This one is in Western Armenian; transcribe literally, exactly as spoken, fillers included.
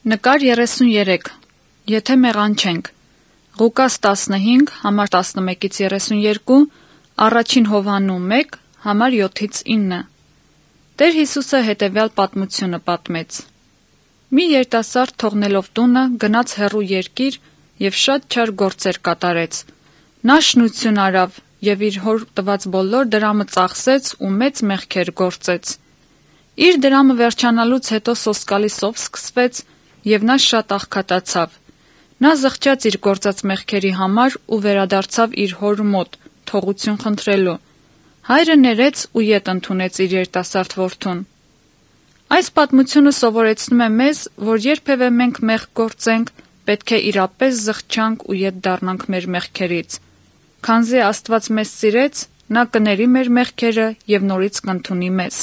Նկար երեսուն երեք։ Եթե մեղանչենք։ Ղուկաս տասնհինգ, համար տասնմէկից երեսուն երկու, առաջին Յովհաննու մէկ, համար յոթից իննը։ Տէր Յիսուսը հետեւեալ պատմութիւնը պատմեց. «Մի երիտասարդ, թողնելով տունը, գնաց հեռու երկիր եւ շատ չար գործեր կատարեց։ Նա շնութիւն առաւ եւ իր հօր տուած բոլոր դրամը ծախսեց ու մեծ մեղքեր գործեց։ Իր դրամը վերջանալուց յետոյ սոսկալի սով սկսվեց եւ նա շատ աղքատացաւ։ Նա զղջաց իր գործած մեղքերի համար ու վերադարձաւ իր հօր մօտ՝ թողութիւն խնդրելու։ Հայրը ներեց ու ետ ընդունեց իր երիտասարդ որդուն»։ Այս պատմութիւնը սովորեցնում է մեզ, որ երբեւէ մենք մեղք գործենք, պէտք է իրապէս զղջանք ու ետ դառնանք մեր մեղքերից, քանզի Աստուած մեզ սիրեց, նա կը ների մեր մեղքերը եւ նորից կ'ընդունի մեզ։